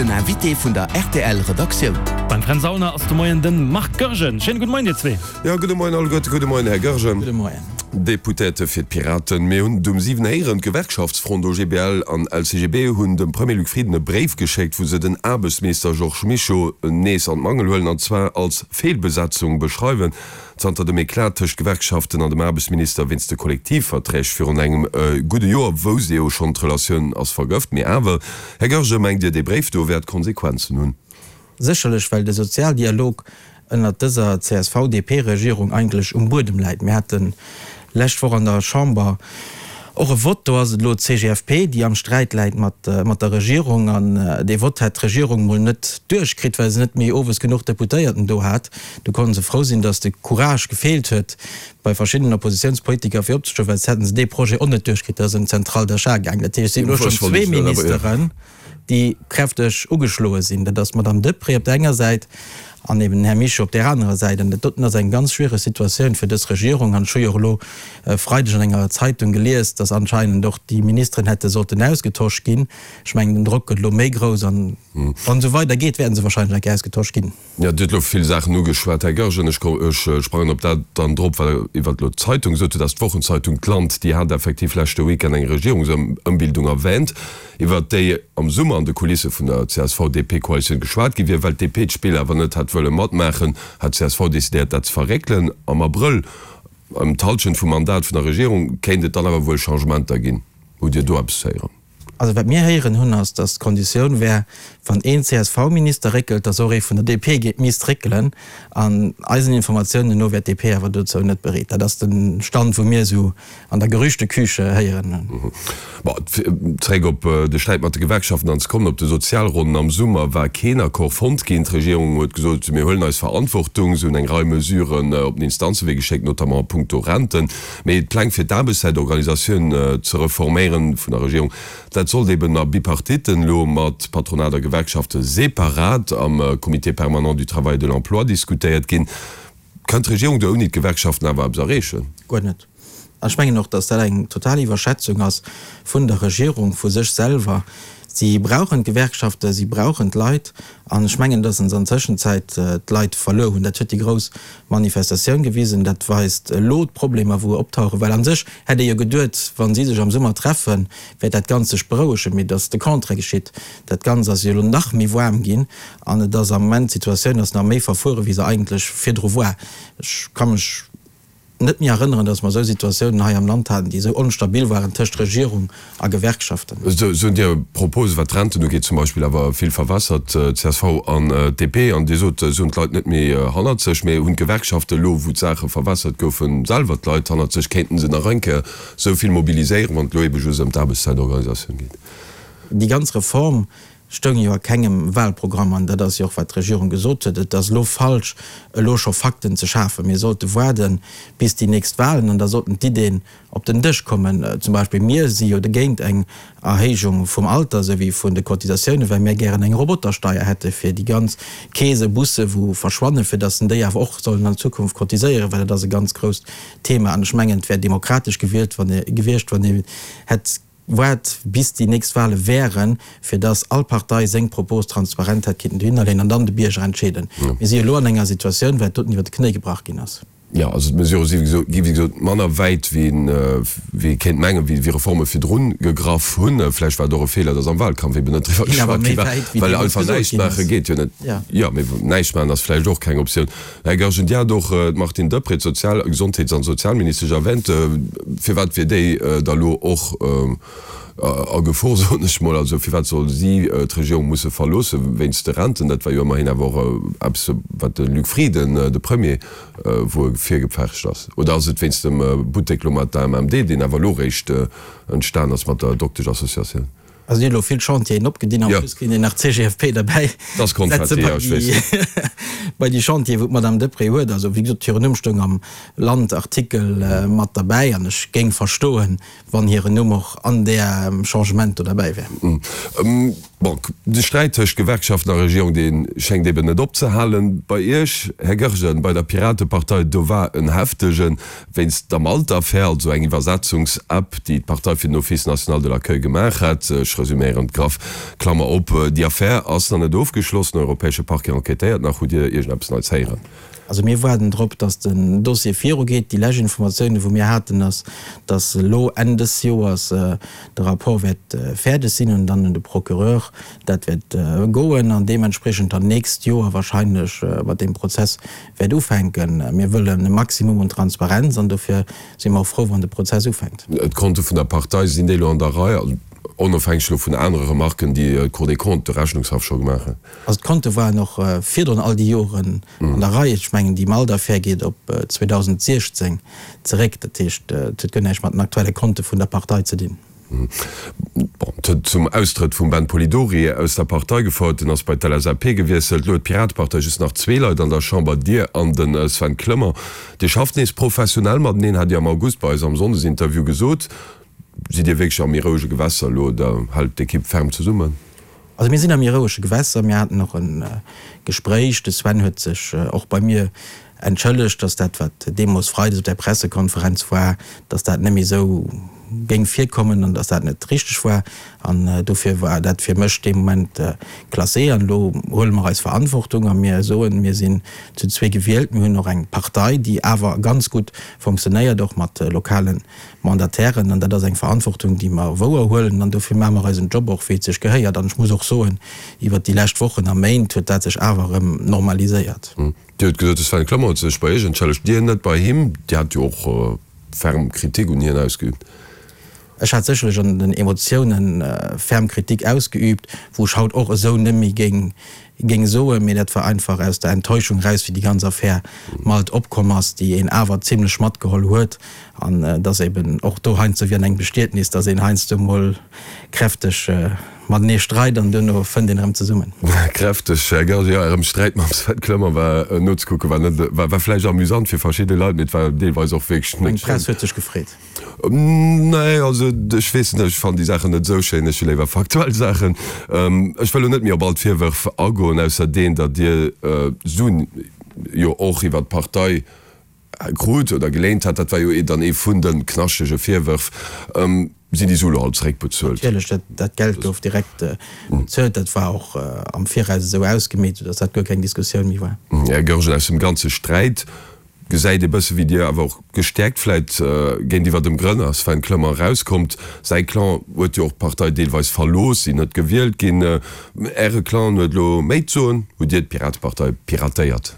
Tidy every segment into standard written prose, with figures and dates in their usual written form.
Den Invité vun der rtl Redaktioun. Beim Fränz Aulner ass de Moien de Marc Goergen. Schéine gudde Moien dir zwee. Jo, gudde Moien alleguerte, gudde Moien Här Goergen. Gudde Moien. Deputéierte fir d'Piraten. Mir hunn et um 7 héieren, D'Gewerkschaftsfront OGBL an LCGB hunn dem Premier Luc Frieden e Bréif geschéckt, wou se den Aarbechtsminister Georges Mischo nees an d'Mangel huelen, an zwar als Feelbesetzung beschreiwen. Zanter dem Eclat tëscht Gewerkschaften an dem Aarbechtsminister wéinst de Kollektivverträg virun engem gudde Joer wousst ee jo schonn, d'Relatioun ass vergëft. Mee awer, Här Goergen, mengt Dir, dee Bréif do wäert Konsequenzen hunn? Sécherlech, well de Sozialdialog ënnert dëser CSV-DP-Regierung eigentlech um Buedem läit. Mir hate lescht Woch an der Chamber och e Vott, do ass et elo d'CGFP, déi am Sträit läit mat der Regierung. An dee Vott hätt d'Regierung mol net duerchkritt, well se net méi owes genuch Deputéierten do hat. Do konnte se frou sinn, datt de Courage gefeelt huet bei verschiddenen Oppositiounspolitiker fir opzestoen, well soss hätte se dee Projet och net duerchkritt. Dat ass ëm d'Centrale d'achat gaangen. Dat heescht, et sinn elo schonn zwee Ministeren, déi kräfteg ugeschloe sinn. Dat ass d'Madame Deprez op där enger Säit an eben den Här Mischo op där anerer Säit. An dat doten ass eng ganz schwiereg Situatioun fir dës Regierung. An ech hu jo och elo e Freideg an enger Zeitung gelies, datt anscheinend och déi Ministeren hätte sollten ausgetosch ginn. Ech mengen, den Drock gëtt elo méi grouss an wann et esou weidergeet, wäerten se wahrscheinlech eng Kéier ausgetosch ginn. Jo, Dir hutt elo vill Saachen ugeschwat, Här Goergen. Ech sprangen op dat dann drop, wat Der iwwert elo d'Zeitung gesot hutt. Dat ass d'Wochenzeitung D'Land, déi hat effektiv leschte Weekend eng Regierungsëmbildung erwähnt, iwwert déi am Summer an de Kulisse vun der CSV-DP-Koalitioun geschwat gi wier. Well d'DP d'Spill awer net hat wëlle matmaachen, hat d'CSV decidéiert, dat ze verréckelen. Am Abrëll, ëm d'Hallschent vum Mandat vun der Regierung, kéint et dann awer wuel Changementer ginn. Hutt Dir do eppes héieren? Also wat mir héieren hunn, ass, datt d'Konditioun wär, wann een CSV-Minister réckelt, datt och ee vun der DP misst réckelen. An eisen Informatiounen no wär d'DP awer dozou net bereet. Dat ass de Stand, wou mir esou an der Gerüchteküche héieren hunn. Bon, zeréck op de Sträit mat de Gewerkschaften an ze kommen. Op de Sozialronnen am Summer war keen Accord fonnt ginn. D'Regierung huet gesot, mir huelen eis Verantwortung. Se hunn eng Rei Mesuren op den Instanzewee geschéckt, notamment a puncto Renten. Mee d'Pläng fir d'Aarbechtszäitorganisatioun ze reforméieren vun der Regierung, dat sollt eben a Bipartitten elo mat Patronat a Gewerkschafte separat am Comité permanent du travail et de l'emploi diskutéiert ginn. Kann d'Regierung do ouni d'Gewerkschaften awer eppes erreechen? Guer net. An ech mengen och, datt dat eng total Iwwerschätzung ass vun der Regierung, vu sech selwer. Si brauchen d'Gewerkschaften, si brauchen d'Leit. An ech mengen, datt se an Tëschenzäit d'Leit verluer hunn. Dat huet déi grouss Manifestatioun gewisen. Dat weist elo d'Problemer, wou optauchen. Well a sech hätt ee jo geduet, wa si sech am Summer treffen, wäert dat Ganzt sech berouegen. Mee et ass de Contraire geschitt. Dat Ganzt ass jo elo nach méi waarm ginn an et ass am Moment, d'Situatioun ass nach méi verfuere wéi se eigentlech virdru war. Ech ka mech net méi erënneren, datt mer esou Situatiounen hei am Land haten, déi esou onstabil waren tëscht Regierung a Gewerkschaften. Esou hunn Dir Propose wat d'Renten ugeet zum Beispill awer vill verwässert, csv an DP. An Dir sot, se hunn d'Leit net méi hannert sech. Mee hunn d'Gewerkschaften elo, wou d'Saache verwässert goufen, selwer d'Leit hannert sech? Kéinten se nach eng Kéier esou vill mobiliséieren, wann et elo ebe just ëm d'Aarbechtszäitorganisatioun geet? Déi ganz Reform stoung jo a kengem Wahlprogramm, an dat ass jo och wat d'Regierung gesot huet, et ass elo falsch elo scho Fakten ze schafen. Mir sollte waarde bis déi nächst Wahlen an da sollten d'Iddeen op den Dësch kommen. Zum Beispill mir si jo dogéint eng Erhéijung vum Alter souwéi vun de Cotisatiounen, well mir gären eng Robotersteier hätte fir déi ganz Keese, Busse wou verschwannen, fir datt en déi awer och sollen an Zukunft cotiséieren, well dat ass e ganz grousst Thema. An ech mengen et wär demokratesch gewielt wann ee gewiescht, wann ee hätt Waart bis déi nächst Wahle wären, fir dass all Partei seng Propos transparent hätt kinnten dohinner leeën an dann de Bierger entscheeden. Mir si jo elo an enger Situatioun, well et doten iwwer de Knéi gebrach ginn ass. Jo, also d'Mesurë si gi wéi gesot manner wäit wéi ee kéint mengen, wéi Reforme virdrun gegraff hunn. Vläicht war et och e Feeler, dass am Wahlkampf eben net driwwer geschwat gi war, well einfach näischt maache geet jo net. Jo, mee näischt maachen ass vläicht och keng Optioun. Här Goergen, Dir hat och d'Martine Deprez, d'Sozial-, Gesondheets an Sozialministesch erwähnt. Firwat wier déi da lo och a Gefor, soen ech mol? Also firwat soll si d'Regierung musse verloosse wéinst de Renten? Dat war jo ëmmerhin awer och eppes, wat de Luc Frieden, de Premier, wou e virgepfercht ass. Oder ass et wéinst dem Buttek lo mat der AMMD, deen awer elo réischt entstan ass mat der Doktesch-Associatioun? Also dir hutt elo vill Chantieren opgedinn, en plus kéint een nach d'CGFP derbäi setze bei déi Chantieren, wou d'Madame Deprez huet. Also wéi gesot, hiren Numm stoung am Land-Artikel mat derbäi an ech géing verstoen, wann hiren Numm och an där Changement do derbäi wär. Bon, de Sträit tëscht Gewerkschaften a Regierung, dee schéngt eben net opzehalen. Bei Iech, Här Goergen, bei der Piratepartei, do war en heftegen. Wéinst der Malte-Affär, also eng Iwwersetzungs-App, déi d'Partei fir den Office national de l'accueil gemaach hat. Ech resuméieren graff. Klammer op, Déi Affär ass nach net ofgeschloss, den europäesche Parquet enquêtéiert nach. Hutt Dir iergendeppes Neits héieren? Also mir waarden drop, datt den Dossier virugeet. Déi lescht Informatiounen, wou mir haten, ass, datt elo Enn dës Joers de Rapport wäert fäerdeg sinn an dann un de Procureur dat wäert goen an deementspriechend dann nächst Joer wahrscheinlech mat deem Prozess wäert ufänken. Mir wëllen e Maximum un Transparenz an dofir si mer och frou, wann de Prozess ufänkt. D'Konte vun der Partei, sinn déi elo an der Rei, also onofhängeg elo vun anere Remarken, déi d'Cour des Comptes, de Rechnungshaff scho gemaach huet? Also d'Konte waren och virdrun all déi Joren an der Rei. Ech mengen, déi Malt-Affär geet op 2016 zeréck. Dat heescht, et huet guer näischt mat den aktuelle Konte vun der Partei ze dinn. Bon, et huet zum Austrëtt vum Ben Polidori aus der Partei gefouert. En ass bei d'LSAP gewiesselt. Elo huet d'Piratepartei just nach zwee Leit an der Chamber, Dir an de Sven Clement. Dir schafft nees professionell mateneen, hat Dir am August bei eis am Sonndesinterview gesot. Sidd Dir wierklech a méi rouege Gewässer elo oder hält d'Ekipp ferm zesummen? Also mir sinn a méi rouege Gewässer. Mir haten och e Gespréich. De Sven huet sech och bei mir entschëllegt, datt dat, wat deemools freides op där Pressekonferenz war, datt dat net méi esou géing virkommen an datt dat net richteg war. An dofir war dat fir mech dee Moment classé. An elo huele mer eis Verantwortung a mir soen, mir sinn zu zwee gewielt. Mir hunn och eng Partei, déi awer ganz gutt fonctionnéiert, och mat lokale Mandatairen, an dat ass eng Verantwortung, déi mer wouer huelen, an dofir maache mer eisen Job och, wéi et sech gehéiert. An ech muss och soen, iwwert déi lescht Wochen a Méint huet dat sech awer erëm normaliséiert. Dir hutt gesot, de Sven Clement huet sech bei Iech entschëllegt, Dir net bei him. Dir hat jo och ferm Kritik un hien ausgeübt. Ech hat sécherlech an den Emotiounen ferm Kritik ausgeübt, wou ech haut och esou net méi géing géing soen, mee dat war einfach aus der Enttäuschung eraus, wéi déi ganz Affär Malt opkomm ass, déi een awer zimlech matgeholl huet. An et ass eben och do heiansdo wéi an engem Bestietnis, dass een heiansdo mol kräfteg matenee streit an duerno fënnt een erëm zesummen. Kräfteg, Här Goergen, jo, Ärem Sträit mam Sven Clement war nozekucken, war net, war vläicht amüsant fir verschidde Leit, mee et war deelweis och wierklech net schéin. Meng Press huet sech gefreet. Nee, also ech weess net, ech fannen déi Saachen net esou schéin, ech hu léiwer faktuell Saachen. Ech wëll elo net méi op all d'Virwërf agoen, ausser deen, datt Dir Suen jo och iwwer d'Partei krut oder geléint hat. Dat war jo dann ee vun de knaschtege Virwërf. Sinn déi Sue elo all zeréckbezuelt? Natierlech, dat Geld gouf direkt bezuelt. Dat war och am Viraus esou ausgemeet, soudatt dat guer keng Diskussioun méi war. Här Goergen, aus dem ganze Sträit Gesäit ee bësse wéi Dir awer och gestäerkt vläit géintiwwer dem Grënner Sven Clement erauskommt. Säi Clan huet jo och d'Partei deelweis verlooss, sinn net gewielt ginn. Äre Clan huet elo méi d'Soen. Hutt Dir d'Piratepartei piratéiert?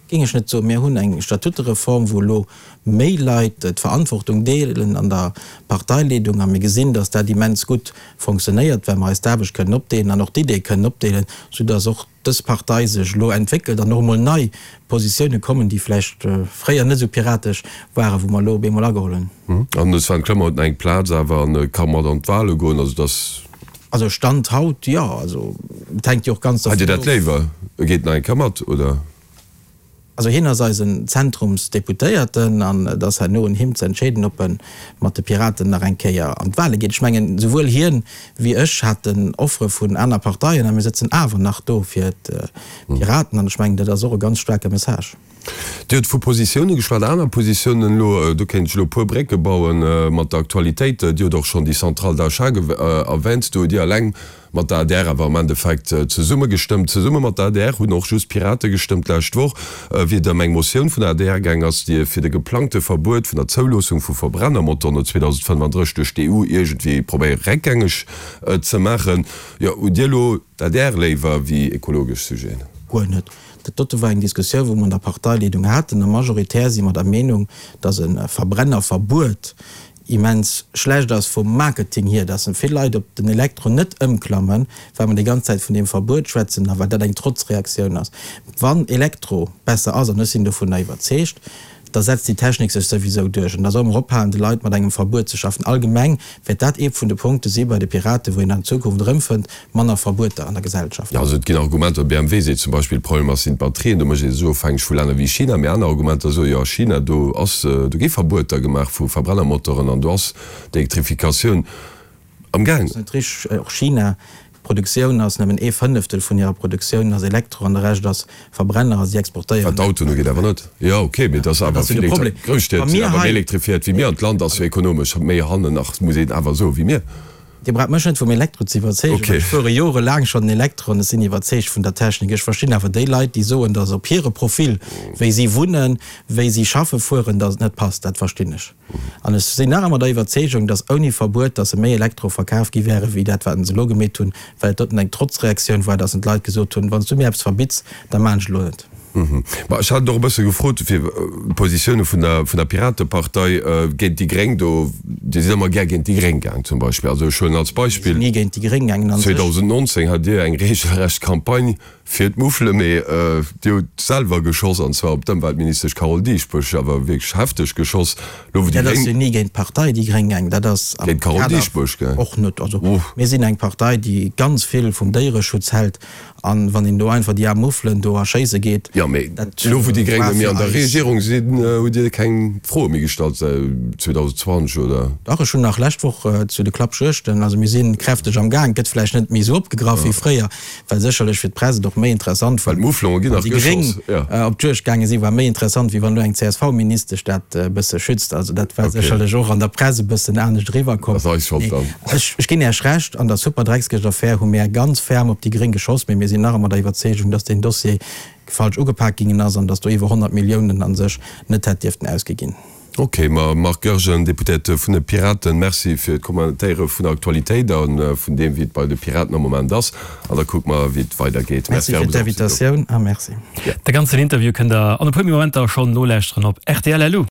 Géing ech net soen. Mir hunn eng Statutereform, wou elo méi Leit d'Verantwortung deelen an der Parteileedung a mir gesinn, datt dat immens gutt fonctionnéiert, well mer eis d'Aarbecht kënnen opdeelen an och d'Iddie kënnen opdeelen, soudatt och dës Partei sech elo entwéckelt an och emol nei Positioune kommen, déi vläicht fréier net esou piratesch waren, wou mer elo op eemol ageholl hunn. An de Sven Clement huet nach eng Plaz awer an ka mat an d'Wale goen. Also dass. Also Stand haut, jo. Also et hänkt jo och ganz dervun of. Hätt Dir dat léiwer, e geet nach eng Kéier mat, oder? Also hien ass eisen Zentrumsdeputéierten an et ass herno un him ze entscheeden, ob e mat de Piraten nach eng Kéier an d'Wale geet. Ech mengen, souwuel hien wéi ech haten Offere vun aner Parteien a mir sëtzen awer nach do fir d'Piraten an ech mengen, dat ass och e ganz staarke Message. Dir hutt vu Positioune geschwat, aner Positiounen elo, do kéint ech elo e puer Brécke bauen mat der Aktualitéit. Dir hutt och schonn déi Centrale d'achat erwänt. Do hutt Dir eleng mat der adr awer am Endeffekt zesumme gestëmmt. Zesumme mat der adr hunn och just d'Pirate gestëmmt d'lescht Woch, wéi et ëm eng Motioun vun der adr gaang ass, déi fir de geplangte Verbuet vun der Zouloossung vu Verbrennermotoren no 2035 duerch d'EU iergendwéi probéiere réckgängeg ze maachen. Jo, hutt Dir elo d'adr léiwer wéi ekologesch Sujeten? Guer net. Dat dote war eng Diskussioun, wou mer an der Parteileedung haten a majoritär si mer der Meenung, datt e Verbrennerverbuet immens schlecht ass vum Marketing hier, dass vill Leit op den Elektro net ëmklammen, well mer déi ganz Zäit vun deem Verbuet schwätzen a well dat eng Trotzreaktioun ass. Wann Elektro besser ass, an ech sinn dovunner iwwerzeegt, da setzt déi Technik sech souwisou duerch. An da solle mer ophalen, de Leit mat engem Verbuet ze schaffen. Allgemeng wäert dat ee vun de Punkte si bei de Piraten, wou een an Zukunft erëmfënnt, manner Verbueter an der Gesellschaft. Jo, also et ginn Argumenter, BMW seet zum Beispill, Problem ass sinn d'Batterien, do mécht ee sech ofhängeg vu Länner wéi China. Mee aner Argumenter soe jo, a China do ass, do gi Verbueter gemaach vu Verbrennermotoren an do ass d'Elektrifikatioun am Gaang. Dat ass net richteg. Och China, d'Produktioun ass nëmmen ee Fënneftel vun hirer Produktioun ass Elektro an de Rescht ass Verbrenner a si exportéieren. Wat d'Autoen ugeet awer net. Jo, ok, mee et ass awer vill Grousstied sinn awer méi elektrifiéiert wéi mir an d'Land ass jo ekonomesch méi hannen nach, muss een awer soen, wéi mir. Dir braucht mech net vum Elektro ze iwwerzeegen, well ech fuere jorelaang schonn en Elektro an ech sinn iwwerzeegt vun der Technik. Ech verstinn awer déi Leit, déi soen, datt op hire Profil, wéi si wunnen, wéi si schaffe fueren, datt et net passt. Dat verstinn ech. An ech sinn nach ëmmer der Iwwerzeegung, datt ouni Verbuet, datt se méi Elektro verkaf gi wäre wéi dat, wat se elo gemeet hunn, well et doten eng Trotzreaktioun war, datt en d'Leit gesot hunn, Wann s du mir eppes verbitts, da maan ech elo net. Ma ech hat et och e bësse gefrot, fir d'Positioune vun der, vun der Piratepartei géint déi Gréng do. Dir sidd ëmmer gär géint déi Gréng gaang zum Beispill. Also ech huelen als Beispill. Mir sinn ni géint déi Gréng gaangen an sech. 2019 hat Dir eng regelrecht Campagne fir d'Muffele, mee Dir hutt selwer geschoss, an zwar op d'Ëmweltministesch Carole Dieschbourg, awer wierklech hefteg geschoss. Elo wou déi Gréng. Dat ass jo ni géint d'Partei déi Gréng gaangen, dat ass am Géint d'Carole Kader. Dieschbourg gaang. Och net. Also mir sinn eng Partei, déi ganz vill vum Déiereschutz hält. An wann een do einfach déi aarm Muffelen do erschéisse geet, Jo, mee dat elo wou déi Gréng war net méi fir an der eis. Regierung sinn, hutt Dir keng Froe méi gestallt säit 2020, oder? Dach, ech hunn nach lescht Woch zu de Klappjuegten, also mir si kräfteg am Gaang, gëtt vläicht net méi esou opgegraff wéi fréier, well sécherlech fir d'Press et och méi interessant war, Well d'Mufflonge ginn wann nach déi Gréng geschoss, jo. op d'Juegd gaange sinn, war méi interessant, wéi wann elo eng CSV-Ministesch dat e bësse schützt. Also dat war Okay. sécherlech och an der Press e bëssen anescht eriwwerkomm. Dat ass eis Schold Nee, dann. ech, ech ginn Iech Recht, an der Superdreckskëscht-Affär hu mär ganz ferm op déi Gréng geschoss, mee mir sinn nach ëmmer der Iwwerzeegung, dass deen Dossier falsch ugepak ginn ass an dass do iwwer 100 Milliounen a sech net hätt dierften ausgi ginn. Ok, ma Marc Goergen, Deputéierte vun de Piraten, Merci fir d'Kommentéiere vun der Aktualitéit a vun deem, wéi et bei de Piraten am Moment ass. An da kucke mer, wéi et weidergeet. Merci fir d'Invitatioun a Merci. De ganzen Interview kënnt der an e puer Momenter schonn nolauschteren op rtl. Lu.